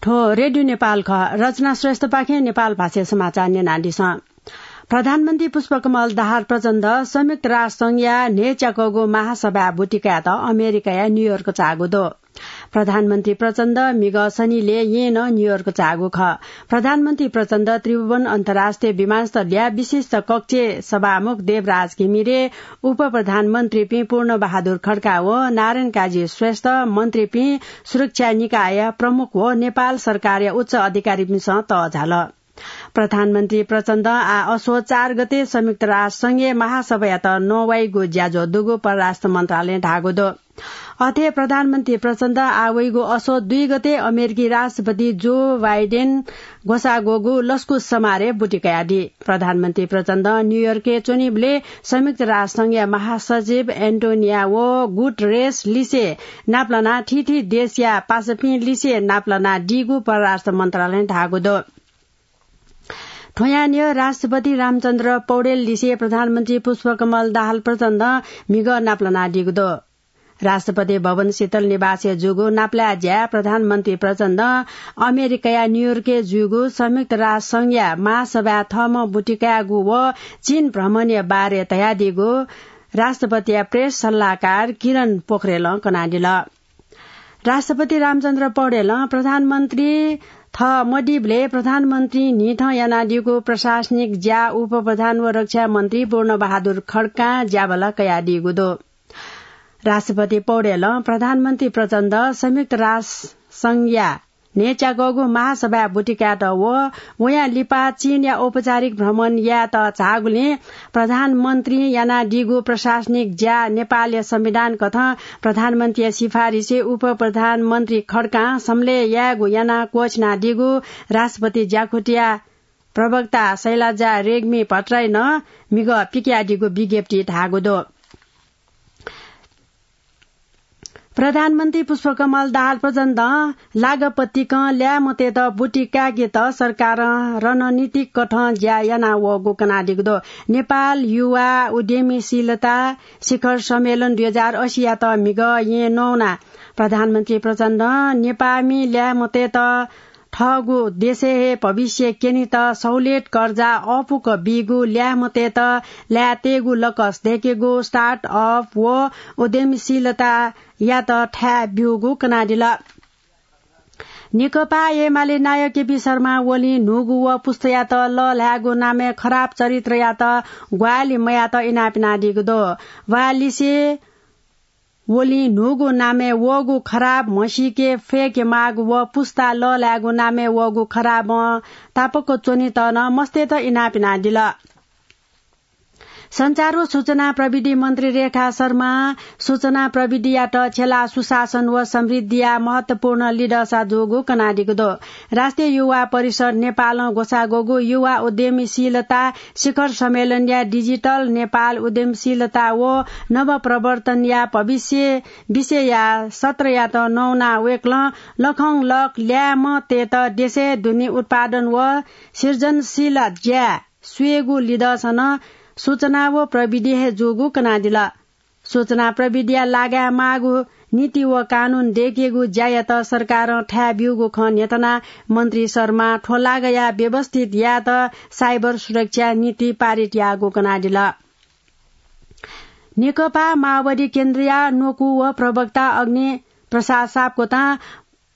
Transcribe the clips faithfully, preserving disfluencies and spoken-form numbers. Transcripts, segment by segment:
थ्व रेडियो नेपाल खः। रचना श्रेष्ठपाखें नेपाल भाषाय् समाचार न्यनादिसँ। प्रधानमन्त्री पुष्पकमल दाहाल प्रचण्ड संयुक्त राष्ट्र संघया न्हय्च्याकःगु महासभाय् बुति कायेत अमेरिकाया न्यूयोर्क चाःगु दु। प्रधानमन्त्री प्रचण्ड म्हिगः शनिलय् येँनं न्यूयोर्क चाःगु खः। प्रधानमन्त्री प्रचण्ड त्रिभुवन अन्तर्राष्ट्रिय विमानस्थलया विशिष्ट कक्षय् सभामुख देवराज घिमिरे, उपप्रधानमन्त्रीपिं पूर्णबहादुर खड्का व नारायण काजी श्रेष्ठ, मन्त्रीपिं, सुरक्षा निकाय प्रमुख व नेपाल सरकारया उच्च अधिकारीपिन्सं तःझाल। प्रधानमन्त्री प्रचण्ड आः असोज चार गते संयुक्त राष्ट्र संघया महासभायात नवाइगु ज्याझ्वः दुगु परराष्ट्र मन्त्रालयं धाःगु दु। अथे प्रधानमन्त्री प्रचण्ड आः वइगु असोज दुई गते अमेरिकी राष्ट्रपति जो बाइडेन ग्वसाः ग्वःगु लसकुस समारोहय् बुति कयादी। प्रधानमन्त्री प्रचण्ड न्यूयोर्कय् च्वनीबलय् संयुक्त राष्ट्र संघया महासचिव एन्टोनिया व गुटरेस लिसे नापलानाः थीथी देशया पासापिं लिसे नापलानादीगु परराष्ट्र मन्त्रालयं धाःगु दु। थ्वयां न्ह्यः राष्ट्रपति रामचन्द्र पौडेल लिसे प्रधानमन्त्री पुष्पकमल दाहाल प्रचण्ड म्हिगः नापलानादीगु दु। राष्ट्रपति भवन शीतल निवासय् जूगु नापलाये ज्याय् प्रधानमन्त्री प्रचण्ड अमेरिकाया न्यूयोर्कय् जूगु संयुक्त राष्ट्र संघया महासभाय् थःम्हं बुति कायेगु व चीन भ्रमणया बारे धयादीगु राष्ट्रपतिया प्रेस सल्लाहकार किरण पोखरेलं कनादिल। राष्ट्रपति रामचन्द्र पौडेलं प्रधानमन्त्री थः मदीबलय् प्रधानमन्त्री न्हिथं यानादीगु प्रशासनिक ज्या उपप्रधान व रक्षा मन्त्री पूर्णबहादुर खड्कां ज्याबल्लाः कयादीगु दु। राष्ट्रपति पौडेलं प्रधानमन्त्री प्रचण्ड संयुक्त राष्ट्र संघया न्हय्च्याकःगु महासभाय् बुति कायेत व वयां लिपा चीनया औपचारिक भ्रमण यायेत झाःगुलिं प्रधानमन्त्रीं यानादीगु प्रशासनिक ज्या नेपालया संविधान कथं प्रधानमन्त्रीया सिफारिसय् उपप्रधानमन्त्री खड्कां सम्लेह यायेगु यानाः क्वःछिनादीगु राष्ट्रपति ज्याकुथिया प्रवक्ता शैलजा रेग्मी भट्टराईं म्हिगः पिकयादीगु विज्ञप्तिइ धाःगु दु। प्रधानमन्त्री पुष्पकमल दाहाल प्रचण्डं लागपतिकं ल्याय्म्हतय्त बुति काय्केत सरकारं रणनीतिक कथं ज्या यानावःगु कनादीगु दु। नेपाल युवा उद्यमीशीलता शिखर सम्मेलन दुई हजार असीयात म्हिगः येँ नवानाः प्रधानमन्त्री प्रचण्डं नेपाःमि ल्याय्म्हतय्त थःगु देशय् हे भविष्य क्यनेत सहुलियत कर्जा अःपुक बीगु, ल्याय्म्हतय्त ल्याय् तयेगु लकस दय्केगु, start-up व उद्यमशीलतायात थाय् ब्यूगु कनादिल। नेकपा एमाले नायः केपी शर्मा ओलीं न्हूगु व पुस्तायात लःल्हायेगु नामय् खराब चरित्रयात ग्वाहालि मयायेत इनाप यानादीगु दु। वा लिसे ओलीं न्हूगु नामय् वःगु खराब म्हसीके फय्के माःगु व पुस्ता लःल्हायेगु नामय् वःगु खराबं तापाक च्वनेत नं मस्तय्त इनाप यानादिल। सञ्चार व सूचना प्रविधि मन्त्री रेखा शर्मां सूचना प्रविधियात छ्यलाः सुशासन व समृद्धिया महत्वपूर्ण लिधःसा जूगु कनादीगु दु। राष्ट्रिय युवा परिषद नेपालं ग्वसाः ग्वःगु युवा उद्यमीशीलता शिखर सम्मेलनया डिजिटल नेपाल उद्यमशीलता व नवप्रवर्तनया भविष्य विषयया सत्रयात नवानाः वय्कलं लखंलख ल्याय्म्हतय्त देशय् दुने उत्पादन व सृजनशील ज्या स्वयेगु लिधःसा नं सूचना व प्रविधि हे जूगु कनादिल। सूचना प्रविधिया लागाय् माःगु नीति व कानून दय्केगु ज्यायात सरकारं थाय् ब्यूगु खँ न्ह्यथनाः मन्त्री शर्मां थ्व लागाया व्यवस्थित यायेत साइबर सुरक्षा नीति पारित याःगु कनादिल। नेकपा माओवादी केन्द्रया न्वकू व प्रवक्ता अग्नि प्रसाद सापकोटां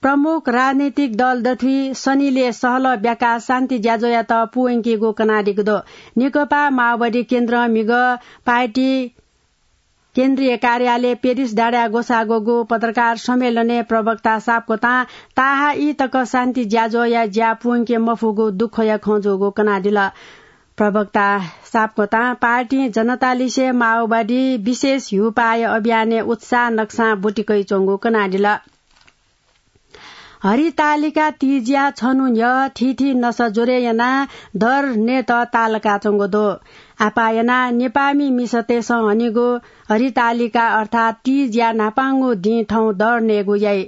प्रमुख राजनैतिक दल दथुइ शनिलय् सहलह ब्याकाः शान्ति ज्याझ्वःयात पूवंकीगु कनादीगु दु। नेकपा माओवादी केन्द्रं म्हिगः पार्टी केन्द्रीय कार्यालय पेरिस डाँडाय् ग्वसाः ग्वःगु पत्रकार सम्मेलनय् प्रवक्ता सापकोटां ताहाः ई तक शान्ति ज्याझ्वःया ज्या पूवंके मफुगु दुःखया खँ जूगु कनादिल। प्रवक्ता सापकोटां पार्टीं जनतालिसे माओवादी विशेष ह्यूपाःया अभियानय् उत्साह नकसां बुति कयाच्वंगु कनादिल। हरितालिका तीजया छन्हु न्ह्यः थीथी नसा ज्वरे यानाः दर नयेत ताःलाकाच्वंगु दु। आपाः यानाः नेपाःमि मिसातय्सं हनीगु हरितालिका अर्थात् तीजया न्हापांगु दिं थौं दर नयेगु याइ।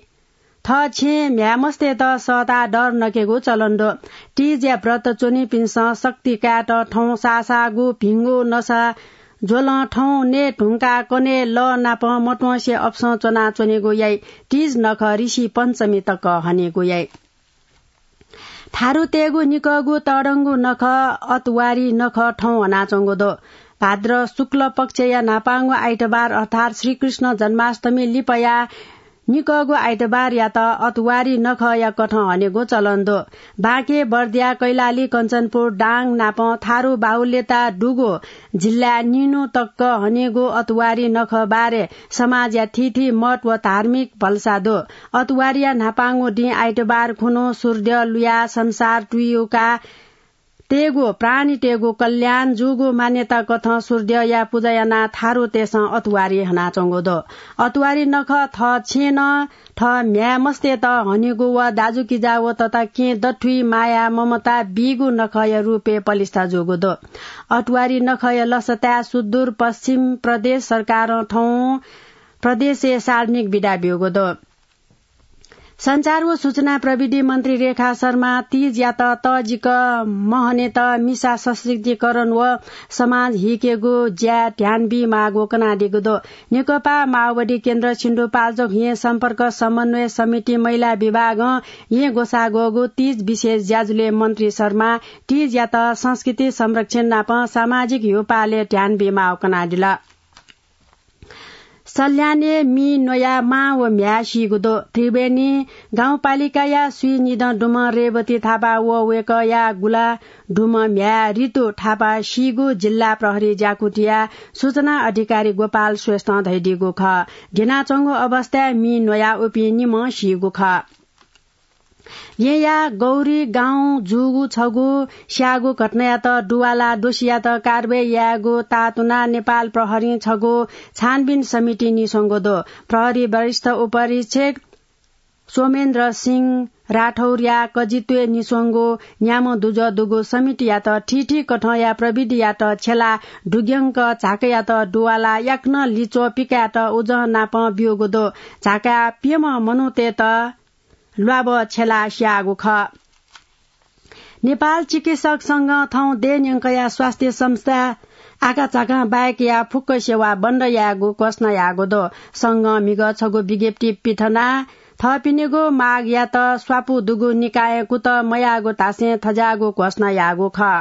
थः छेँय् म्ह्याय्मस्तय्त सःताः दर नकेगु चलन दु। तीजया व्रत च्वनीपिन्सं शक्ति कायेत थौं साःसाःगु भिंगु नसा ज्वलं थौं नये धुंकाः कन्हय् लः नाप मत्वंसे अपसं च्वनाच्वनेगु याइ। तीज नखः ऋषि पञ्चमी तक हनेगु याइ। थारुतय्गु निकःगु तःधंगु नखः अतवारी नखः थौं हनाच्वंगु दु। भाद्र शुक्ल पक्षया न्हापांगु आइतबार अर्थात् श्रीकृष्ण जन्माष्टमी लिपया निकःगु आइतबारयात अतवारी नखःया कथं हनेगु चलन दु। बाँके, बर्दिया, कैलाली, कञ्चनपुर, दाङ नापं थारु बाहुल्यता दुगु जिल्लाय् निन्हु तक हनेगु अतवारी नखः बारे समाजया थीथी मत व धार्मिक भलसा दु। अतवारीया न्हापांगु दिं आइतबार खुन्हु सूर्द्यः लुया संसार तुयुका तय्गु प्राणीतय्गु कल्याण जूगु मान्यता कथं सूर्द्यःया पुजा यानाः थारुतय्सं अतवारी हनाच्वंगु दु। अतवारी नखः थः छेँनं थः म्ह्याय् मस्तय्त हनेगु व दाजुकिजा व तता केहेँ दथुइ माया ममता बीगु नखःया रूपय् पलिस्था जूगु दु। अतवारी नखःया लसताय् सुदूर पश्चिम प्रदेश सरकारं थौं प्रदेशय् सार्वजनिक बिदा ब्यूगु दु। सञ्चार व सूचना प्रविधि मन्त्री रेखा शर्मा तीजयात तःजिक महनेत मिसा सशक्तिकरण व समाज हिकेगु ज्याय् ध्यान बीमाःगु कनादीगु दु। नेकपा माओवादी केन्द्र सिन्धुपाल्चोक येँ सम्पर्क समन्वय समिति महिला विभागं येँ ग्वसाः ग्वःगु तीज विशेष ज्याझ्वलय् मन्त्री शर्मा तीजयात संस्कृति संरक्षण नाप सामाजिक ह्यूपालय् ध्यान बीमाःगु कनादिल। सल्यानय् मि न्वयाः मां व म्ह्याय् सीगु दु। त्रिवेणी गाउँपालिकाया स्वीनिदँ दुम्ह रेवती थापा व वय्कःया गुला दुम्ह म्ह्याय् ऋतु थापा सीगु जिल्ला प्रहरी ज्याकुथिया सूचना अधिकारी गोपाल श्रेष्ठं धयादीगु खः। द्यनाच्वंगु अवस्थाय् मि न्वयाः उपिं निम्ह सीगु खः। येँया गौरी गाउँ जूगु छगू स्याःगु घटनायात दुवाला दोषीयात कारवाही यायेगु तातुना नेपाल प्रहरीं छगू छानबिन समिति निस्वंगु दु। प्रहरी वरिष्ठ उपरीक्षक सोमेन्द्र सिंह राठौरया कजित्वय् निस्वंगु न्याम्ह दुजः दुगु समितियात थीथी कथंया प्रविधियात छ्यला दुग्यंक झाकायात दुवाला याकनं लिच्वः पिकायेत उजं नापं ब्यूगु दु। झाकाय् प्यम्ह मनूतय्त ल्वाभः छ्यलाः स्याःगु खः। नेपाल चिकित्सक संघं थौं देय् न्यंकया स्वास्थ्य संस्था आकाझाकां बाहेकया फुक्क सेवा बन्द यायेगु घोषणा याःगु दु। संघं म्हिगः छगू विज्ञप्ति पिथनाः थःपिनिगु मागयात स्वापू दुगु निकायं कुतः मयाःगु धासें थज्याःगु घोषणा याःगु खः।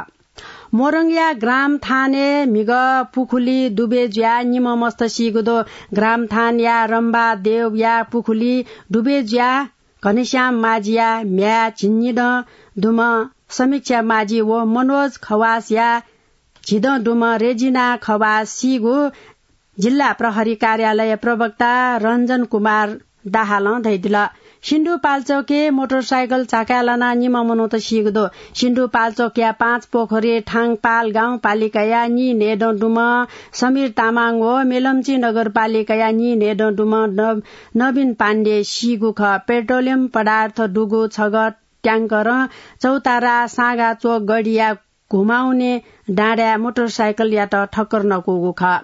मोरङया ग्राम थानय् म्हिगः पुखुली डुबय् जुयाः निम्ह मस्त सीगु दु। ग्राम थानया रम्बा देवया पुखुली डुबय् जुयाः घनश्याम माझीया म्ह्याय् झिंनिदँ दुम्ह समीक्षा माझी व मनोज खवासया झिदँ दुम्ह रेजिना खवास सीगु जिल्ला प्रहरी कार्यालय प्रवक्ता रञ्जन कुमार दाहालं धयादिल। सिन्धुपाल्चोकय् मोटरसाइकल झाकाय् लानाः निम्ह मनूत सीगु दु। सिन्धुपाल्चोकया पाँचपोखरी थाङपाल गाउँपालिकाया नीन्हय्दँ दुम्ह समीर तामाङ व मेलम्ची नगरपालिकाया नीन्हय्दँ दुम्ह न-, नवीन पाण्डे सीगु खः। पेट्रोलियम पदार्थ दुगु छगः ट्याङ्करं चौतारा साँगाचोक गढीया घुमाउने डाँडाय् मोटरसाइकलयात ठक्कर नकूगु खः।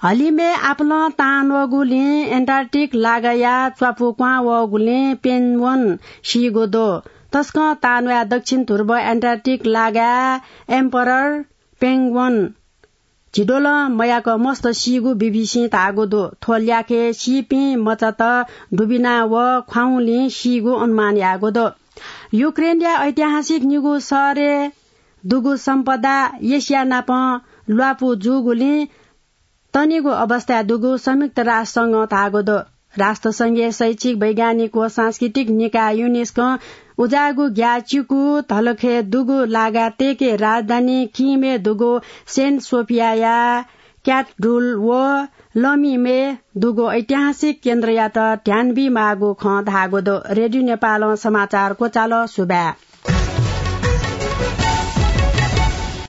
हलिमय् आपालं तांन्वःगुलिं एन्टार्कटिक लागाया च्वापु क्वहां वःगुलिं पेंगुइन सीगु दु। तसकं तांन्वयाः दक्षिण ध्रुव एन्टार्कटिक लागाय् एम्परर पेंगुइन झिद्वलं मयाक मस्त सीगु बीबीसीं धाःगु दु। थ्व ल्याखय् सीपिं मचात दुबिना व ख्वाउँलिं सीगु अनुमान याःगु दु। युक्रेनया ऐतिहासिक निगू शहरय् दुगु सम्पदा एसिया नाप ल्वापु जूगुलिं तनिगु अवस्थाय् दुगु संयुक्त राष्ट्र संघं धाःगु दु। राष्ट्र संघया शैक्षिक, वैज्ञानिक व सांस्कृतिक निकाय युनेस्कों उज्याःगु ग्याःचिकु धलखय् दुगु लागा तय्के राजधानी किमय् दुगु सेन्ट सोफियाया क्याथेड्रल व लमिमय् दुगु ऐतिहासिक केन्द्रयात ध्यान बीमाःगु खँ धाःगु दु। रेडियो नेपालं समाचार क्वचाल। सुभाय्।